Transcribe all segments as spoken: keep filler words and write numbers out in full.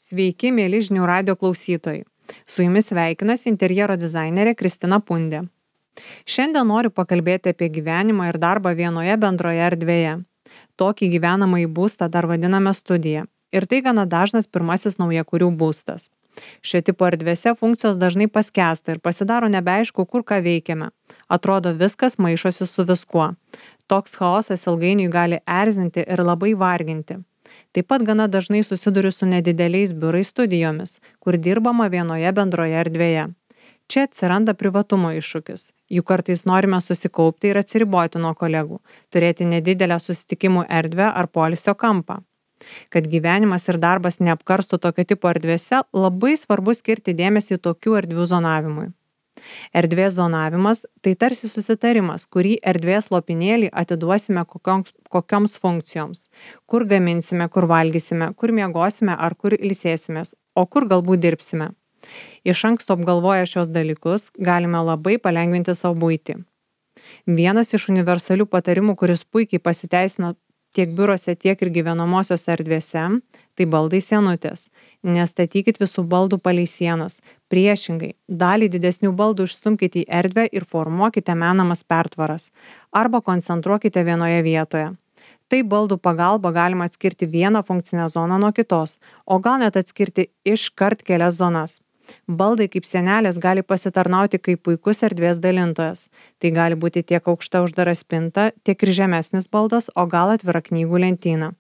Sveiki, mėly žinių radio klausytojai. Su jumis sveikinasi interjero dizainerė Kristina Pundė. Šiandien noriu pakalbėti apie gyvenimą ir darbą vienoje bendroje erdvėje. Tokį gyvenamąjį būstą dar vadiname studija. Ir tai gana dažnas pirmasis naujakurių būstas. Šio tipo erdvėse funkcijos dažnai paskęsta ir pasidaro nebeaišku, kur ką veikiame. Atrodo, viskas maišosi su viskuo. Toks chaosas ilgainiui gali erzinti ir labai varginti. Taip pat gana dažnai susiduriu su nedideliais biurais studijomis, kur dirbama vienoje bendroje erdvėje. Čia atsiranda privatumo iššūkis. Juk kartais norime susikaupti ir atsiriboti nuo kolegų, turėti nedidelę susitikimų erdvę ar poilsio kampą. Kad gyvenimas ir darbas neapkarstų tokio tipo erdvėse, labai svarbu skirti dėmesį tokių erdvių zonavimui. Erdvės zonavimas – tai tarsi susitarimas, kurį erdvės lopinėlį atiduosime kokioms, kokioms funkcijoms. Kur gaminsime, kur valgysime, kur miegosime ar kur ilsėsimės, o kur galbūt dirbsime. Iš anksto apgalvoję šios dalykus galime labai palengvinti savo buitį. Vienas iš universalių patarimų, kuris puikiai pasiteisina tiek biurose, tiek ir gyvenamosios erdvėse, tai baldai sienutės. Nestatykit visų baldų palei sienas. Priešingai, dalį didesnių baldų išstumkite į erdvę ir formuokite menamas pertvaras. Arba koncentruokite vienoje vietoje. Tai baldų pagalba galima atskirti vieną funkcinę zoną nuo kitos, o gal net atskirti iškart kelias zonas. Baldai kaip sienelės gali pasitarnauti kaip puikus erdvės dalintojas. Tai gali būti tiek aukšta uždara spinta, tiek ir žemesnis baldas, o gal atvira knygų lentyna.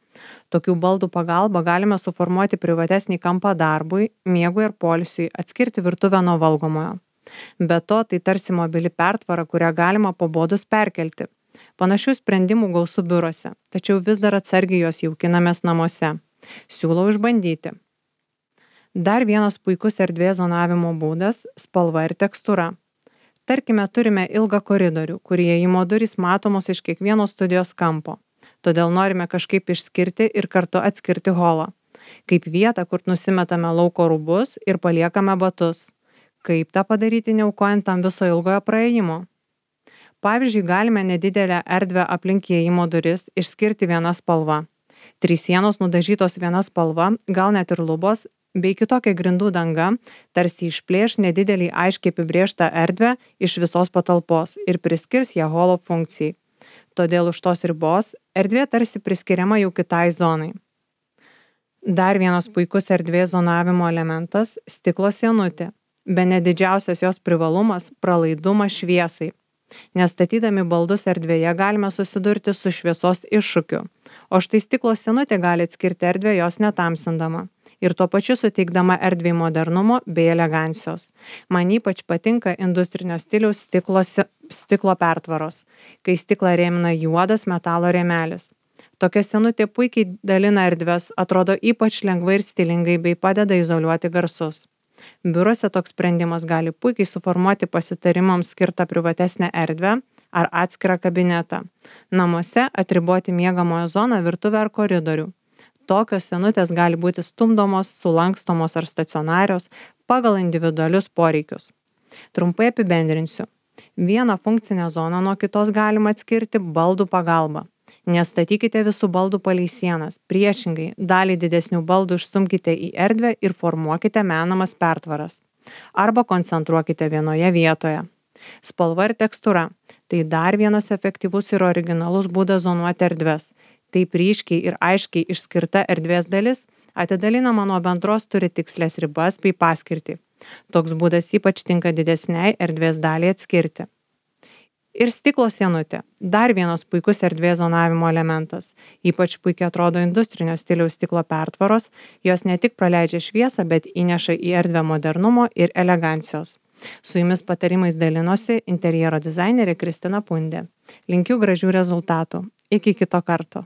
Tokių baldų pagalba galime suformuoti privatesnį kampą darbui, miegui ir poilsiui, atskirti virtuvę nuo valgomojo. Be to, tai tarsi mobili pertvara, kurią galima pabodus perkelti. Panašių sprendimų gausu biurose, tačiau vis dar atsargiai jos jaukinamės namuose. Siūlau išbandyti. Dar vienas puikus erdvės zonavimo būdas – spalva ir tekstūra. Tarkime, turime ilgą koridorių, kur įėjimo durys matomos iš kiekvieno studijos kampo. Todėl norime kažkaip išskirti ir kartu atskirti holą. Kaip vietą, kur nusimetame lauko rūbus ir paliekame batus. Kaip tą padaryti neaukojant tam viso ilgojo praėjimo? Pavyzdžiui, galime nedidelę erdvę aplink įėjimo duris išskirti viena spalva. Trys sienos nudažytos viena spalva, gal net ir lubos, bei kitokia grindų danga, tarsi išplėš nedidelį aiškiai apibrėžtą erdvę iš visos patalpos ir priskirs ją holo funkcijai. Todėl už tos ribos erdvė tarsi priskiriama jau kitai zonai. Dar vienas puikus erdvės zonavimo elementas – stiklo sienutė. Bene didžiausias jos privalumas – pralaidumas šviesai. Nestatydami baldus erdvėje galime susidurti su šviesos iššūkiu, o štai stiklo sienutė gali atskirti erdvę jos netamsindama ir tuo pačiu suteikdama erdvei modernumo bei elegancijos. Man ypač patinka industrinio stiliaus stiklo, stiklo pertvaros, kai stiklą rėmina juodas metalo rėmelis. Tokia sienutė puikiai dalina erdves, atrodo ypač lengvai ir stilingai bei padeda izoliuoti garsus. Biuruose toks sprendimas gali puikiai suformuoti pasitarimams skirtą privatesnę erdvę ar atskirą kabinetą. Namuose atriboti miegamojo zoną, virtuvę ar koridorių. Tokios sienutės gali būti stumdomos, sulankstomos ar stacionarios pagal individualius poreikius. Trumpai apibendrinsiu. Vieną funkcinę zoną nuo kitos galima atskirti baldų pagalba. Nestatykite visų baldų palei sienas. Priešingai, dalį didesnių baldų išstumkite į erdvę ir formuokite menamas pertvaras. Arba koncentruokite vienoje vietoje. Spalva ir tekstūra – tai dar vienas efektyvus ir originalus būdas zonuoti erdves. Taip ryškiai ir aiškiai išskirta erdvės dalis atidalinama nuo bendros turi tikslės ribas bei paskirtį. Toks būdas ypač tinka didesniai erdvės daliai atskirti. Ir stiklo sienutė – dar vienas puikus erdvės zonavimo elementas. Ypač puikiai atrodo industrinio stiliaus stiklo pertvaros, jos ne tik praleidžia šviesą, bet įneša į erdvę modernumo ir elegancijos. Su jumis patarimais dalinosi interjero dizainerė Kristina Pundė. Linkiu gražių rezultatų. Iki kito karto.